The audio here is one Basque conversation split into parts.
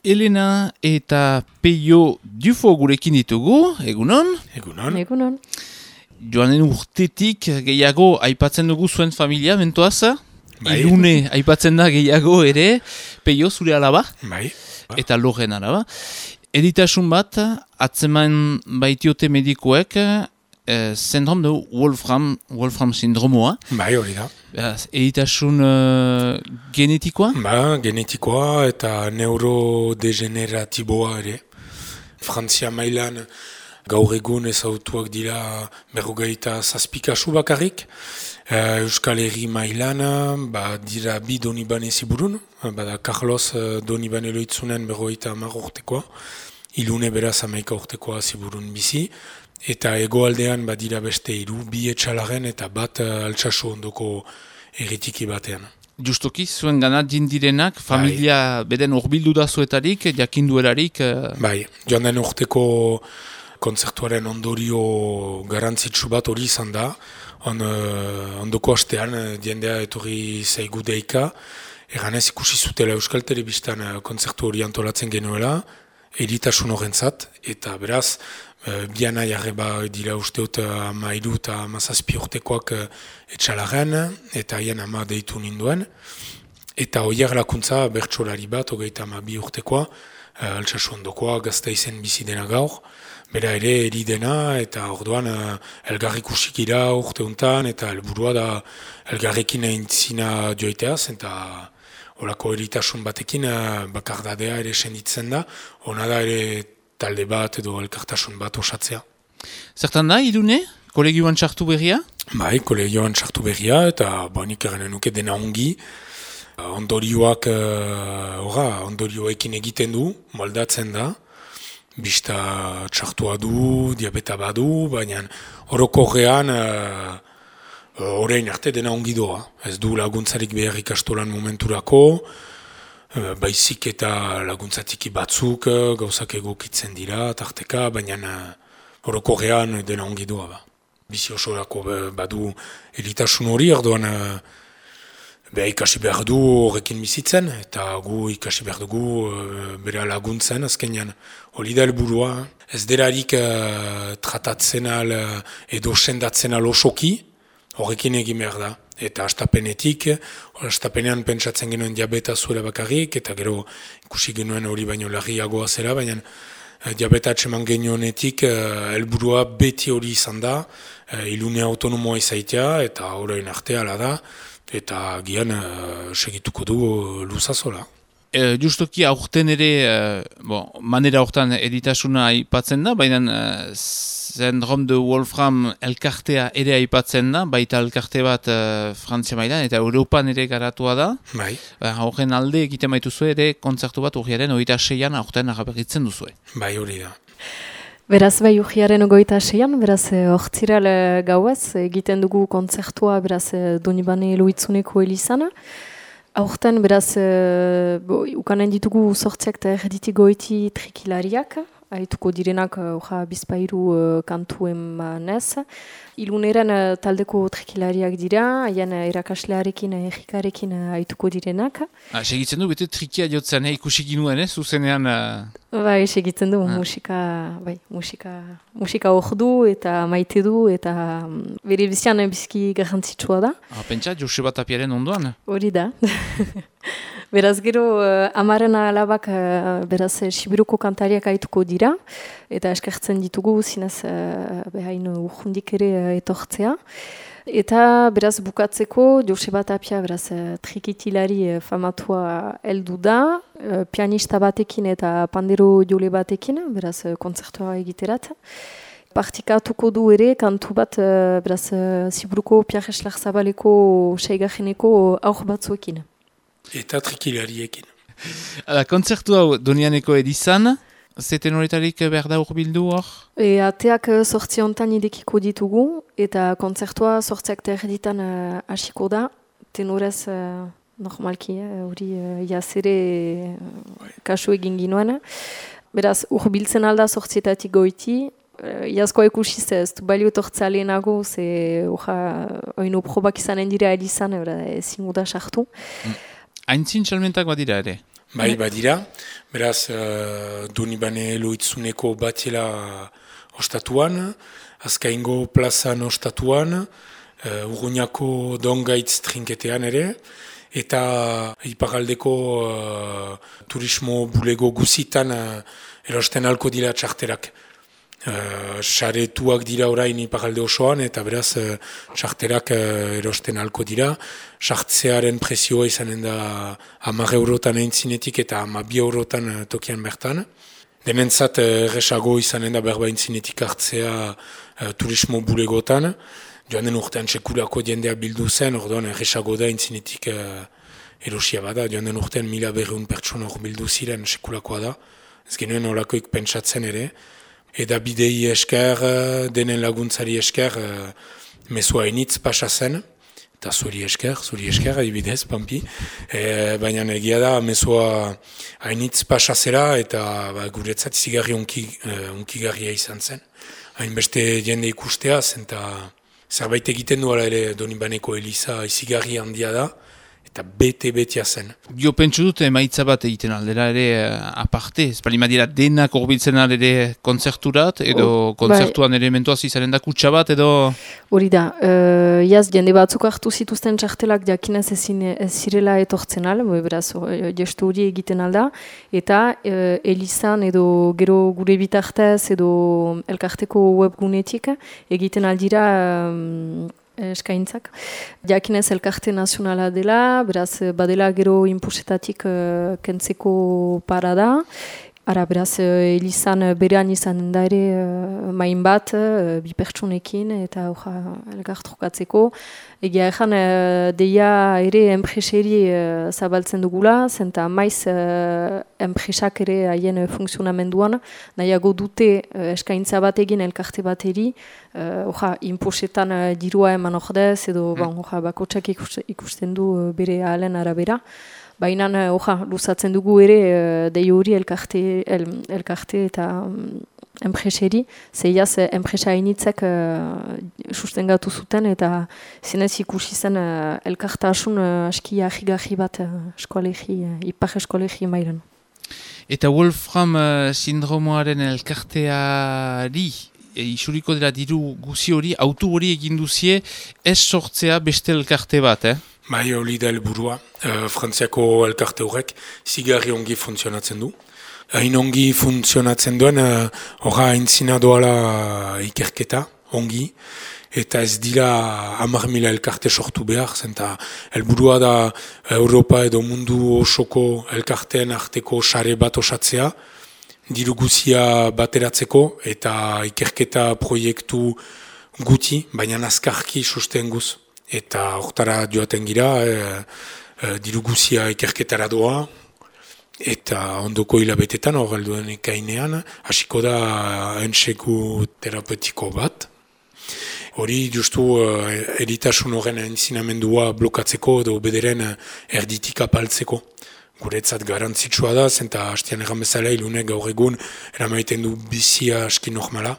Elena eta Peio Dufo gurekin ditugu, egunon? Egunon. Joanen urtetik gehiago aipatzen dugu zuen familia, mentoaz? Bai. Ilune aipatzen da gehiago ere, Peio zure alaba? Bai. Eta Loren alaba. Editasun bat, atzeman baitiote medikuek, syndrom de Wolfram sindromoa. Bai, hori da. Editasun genetikoa? Genetikoa eta neurodegeneratiboa ere. Frantzia mailan gaur egun ezautuak dira 27 kasu bakarrik. Euskal Herri mailan dira bi Donibane ziburun. Bada Carlos Donibane loitzunen 50 urtekoa. Ilune beraz 11 urtekoa ziburun bizi. Eta hegoaldean badira beste 3, bi etxalaren eta bat altsasu ondoko erritiki batean. Justoki, zuen gana jindirenak, familia beden urbildu da zuetarik, jakinduerarik? Bai, joan den urteko kontzertuaren ondorio garantzitsu bat hori izan da. Ondoko astean, jendea etorri zaigu deika, eganez ikusi zutela Euskal Telebistan kontzertu hori antolatzen genuela, eritasun horrentzat, eta beraz, biana jarreba dira usteot 13 eta 17 urtekoak etxalaren, eta haien 10 deitu ninduen. Eta oier lakuntza bertsolari bat, 32 urtekoa, altsasu ondokoa, Gasteizen bizi dena gaur. Bera ere eridena, eta orduan elgarrik usikira urte untan, eta helburua da elgarrekin eintzina joiteaz, eta horako eritasun batekin bakardadea ere senditzen da, ona da ere talde bat edo elkartasun bat osatzea. Zertan da, Irune? Kolegioan txartu berria? Bai, kolegioan txartu berria, eta nik erren nuke dena ongi. Ondorioekin egiten du, moldatzen da. Bista txartua du, diabeta badu, baina orokorrean orain arte dena ongi doa. Ez du laguntzarik behar ikastolan momenturako, baizik eta laguntzatiki batzuk gauzak egokitzen dira, tarteka, baina orokorrean dena ongi doa. Bizi osorako badu eritasun hori, orduan ikasi behar du horrekin bizitzen, eta gu ikasi behar dugu bera laguntzen, azkenean hori da helburua. Ez derarik tratatzen al edo sendatzen al osoki, horrekin egin behar da. Eta astapenean pentsatzen genuen diabeta zuela bakarrik, eta gero ikusi genuen hori baino larriagoa zera, baina diabeta atseman genionetik helburua beti hori izan da, ilune autonomoa izaitea, eta orain arte ala da, eta gian segituko du luzazola. Justoki aurten ere, manera hortan editasuna aipatzen da, baina syndrom de Wolfram elkartea ere aipatzen da, baita elkarte bat Frantzia mailan eta Europan ere garatua da. Bai. Horren alde egiten baituzu ere kontzertu bat urriaren 26an aurten agaberritzen duzue. Bai, hori da. Beraz, bai urriaren 26an, beraz, ortziral gauez, egiten dugu kontzertua, beraz, Donibane Loitzuneko elizana. Aurten, beraz, ukanen ditugu sortziak eta erditi goiti trikilariak, haituko direnak bizpairu kantu emanez. Iluneren taldeko trikilariak dira, haien erakaslearekin, errikarekin haituko direnak. Segitzen du, bete trikia jotzen, ikusi ginuen, zuzenean... Bai, segitzen du, musika ordu eta maite du, eta bere bizian bizki garrantzitsua da. Pentsa, Joseba Tapiaren ondoan? Hori da. Beraz gero, amaren alabak, beraz, Sibiruko kantariak haituko dira, eta eskertzen ditugu, zinez, behain urjundik ere etortzea. Eta, beraz, bukatzeko, Joseba Tapia, beraz, trikitilari famatua heldu da, pianista batekin eta pandero jole batekin, beraz, kontzertua egiterat. Partikatuko du ere, kantu bat, beraz, Sibiruko Pierre Zabaleko seigarreneko aur batzuekin. Eta trikilariekin. Kontzertu hau Donianeko edizan, zeten horretarik behar da urbildu hor? Ateak 8 hontan idekiko ditugu, eta kontzertua 8 erditan hasiko da, tenorez normalki, hori jazere kasu egin ginoen. Beraz, urbiltzen alda 8 goiti, Iazkoa ikusiz ez du balio tortzea lehenago, oino probak izanen dira edizan, ezin guda sartu. Aintzin txalmentak badira ere? Bai, badira. Beraz, Donibane Loitzuneko batela ostatuan, Azkaingo plazan ostatuan, Urruñako Dongaitz trinketean ere, eta iparaldeko turismo bulego guzitan erosten alko dira txarterak. Saretuak dira orain iparalde osoan, eta beraz txarterak erosten alko dira. Sartzearen prezioa izanen da 10 eurotan eintzinetik eta 12 eurotan tokian bertan. Denentzat erresago izanen da berba eintzinetik hartzea turismo bulegotan. Joan den urtean sekulako jendea bildu zen, orduan erresago da eintzinetik erosia bada. Joan den urtean 1200 pertsona hor bildu ziren sekulakoa da. Ez genuen olakoik pentsatzen ere. Eda bidei esker, denen laguntzari esker, mezua hainitz pasa zen, eta zuri esker, adibidez, Pampi. Baina egia da, mezua hainitz pasa zera, eta guretzat izigarri unkigarria izan zen. Hainbeste jende ikusteaz, eta zerbait egiten duela ere Donibaneko Eliza izigarri handia da, eta bete-betea zen. Jo pentsu dut emaitza bat egiten aldera ere aparte, ez bali madira denak horbiltzen ere kontzerturat, edo kontzertuan elementuaz izaren da kutsa bat, edo... Hori da, jaz jende batzuk hartu zituzten txartelak jakinez ez zirela etortzen al, beraz, gestu hori egiten alda, eta Elizan edo gero gure bitartez edo elkarteko webgunetik egiten aldira eskaintzak. Jakinez elkarte nazionala dela, beraz badela gero inpusetatik kentzeko parada. Ara, beraz, Elizan berean izan da ere main bat, bi pertsonekin eta elkartrukatzeko. Egia ezan, deia ere enpreseri zabaltzen dugula, zenta maiz enpresak ere haien funksionamenduan, nahiago dute eskaintza bat egin elkarte bateri, inposetan dirua eman ordez, edo bakotsak ikusten du bere ahalen arabera. Baina, luzatzen dugu ere dei hori elkarte eta enpreseri, zeiaz enpresa hainitzek sustengatu zuten eta zinez ikusi zen elkartasun aski ahigarri bat ipar eskolegi mailan. Eta Wolfram sindromoaren elkarteari isuriko dela diru guzi hori, autu hori egin duzie, ez sortzea beste elkarte bat, Bai, hori da helburua. Frantziako elkarte horrek zigarri ongi funtzionatzen du. Hain ongi funtzionatzen duen, horra aintzina doala ikerketa, ongi, eta ez dira 10.000 elkarte sortu behar, zenta helburua da Europa edo mundu osoko elkarteen arteko sare bat osatzea, diru guzia bateratzeko eta ikerketa proiektu guti, baina azkarki sustenguz. Eta hortara joaten gira, diru guzia ikerketara doa, eta ondoko hilabetetan hor helduen ekainean, hasiko da entseku terapeutiko bat. Hori justu eritasun horren entzinamendua blokatzeko edo bederen erditik apaltzeko. Guretzat garantzitsua da, zenta hastian erran bezala ilunek gaur egun eramaiten du bizia aski normala.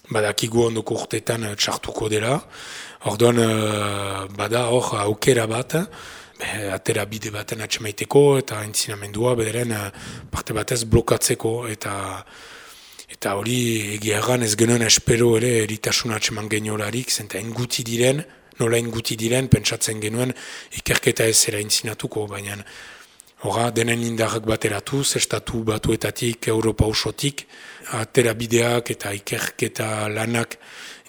Badakigu ondoko urtetan txartuko dela. Orduan bada hor aukera bat, atera bide baten atxemaiteko eta entzinamendua bederen parte batez blokatzeko eta hori egiagan ez genuen espero ere eritasun atxeman geniolarik, zenta inguti diren, nola inguti diren, pentsatzen genuen ikerketa ez zera entzinatuko, baina horra denen indarrak bateratuz, estatu batuetatik, Europa osotik, atera bideak eta ikerketa lanak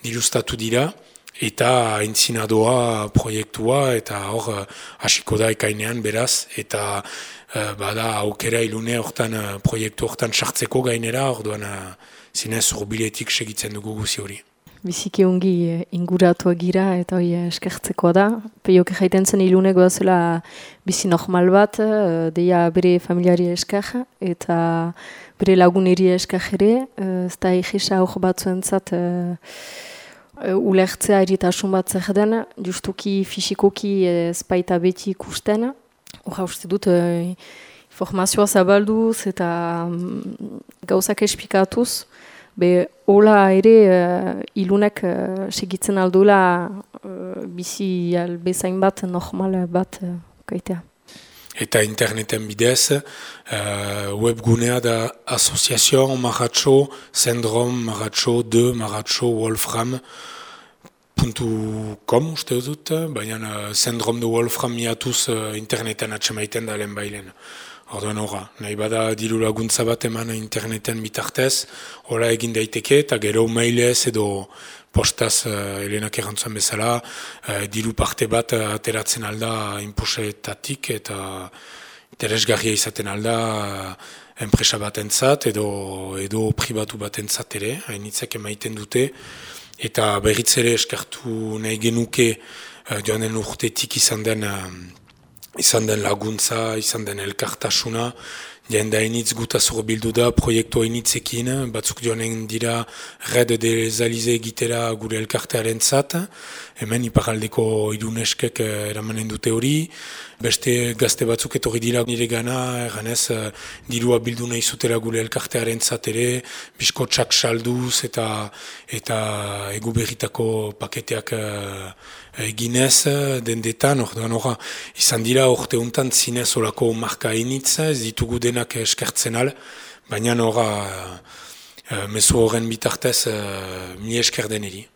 dirustatu dira, eta entzinadoa proiektua, eta hor hasiko da ekainean beraz, eta bada aukera ilune hortan proiektu hortan sartzeko gainera, orduan zinez urbiletik segitzen dugu guzi hori. Biziki ongi inguratu gira eta hori eskertzekoa da. Peiok jaiten zen ilunek bazela bizi normal bat, deia bere familiari esker eta bere laguneri esker ere, ez da egisa hor batzuentzat ulertzea eritasun bat zer den, justuki fisikoki ez baita beti ikusten. Horra uste dut informazioa zabalduz eta gauzak esplikatuz, hola ere ilunek segitzen aldula bizi albezain bat, normal bat kaitea. eta interneten bidez, webgunea da Association Maratxo Syndrome Maratxo 2 Maratxo Wolfram.com uste dut, baina Syndrome de Wolfram miatuz interneten atxemaiten da lehen bailen. Orduan horra, nahi bada diru laguntza bat eman interneten bitartez, hola egin daiteke eta gero mailez edo postaz Helenak errantzuen bezala, diru parte bat ateratzen alda inposetatik eta interesgarria izaten alda enpresa batentzat edo pribatu batentzat ere, hainitzak emaiten dute, eta berriz ere eskartu nahi genuke joan den urtetik izan den laguntza, izan den elkartasuna, jende hainitz gutazor bildu da proiektu hainitzekin, batzuk joanen dira Red des Alize egitera gure elkartearen zat, hemen iparaldeko iruneskek eramanen dute hori, beste gazte batzuk etorri dira nire gana, erganez dirua bildu nahi zutera gure elkartearen zat ere, biskotxak salduz eta egu berritako paketeak eginez dendetan, orduan horra, izan dira orte hontan zinez olako marka hainitz, ez ditugu denak eskertzen al, baina horra mezu horren bitartez mi esker deneri.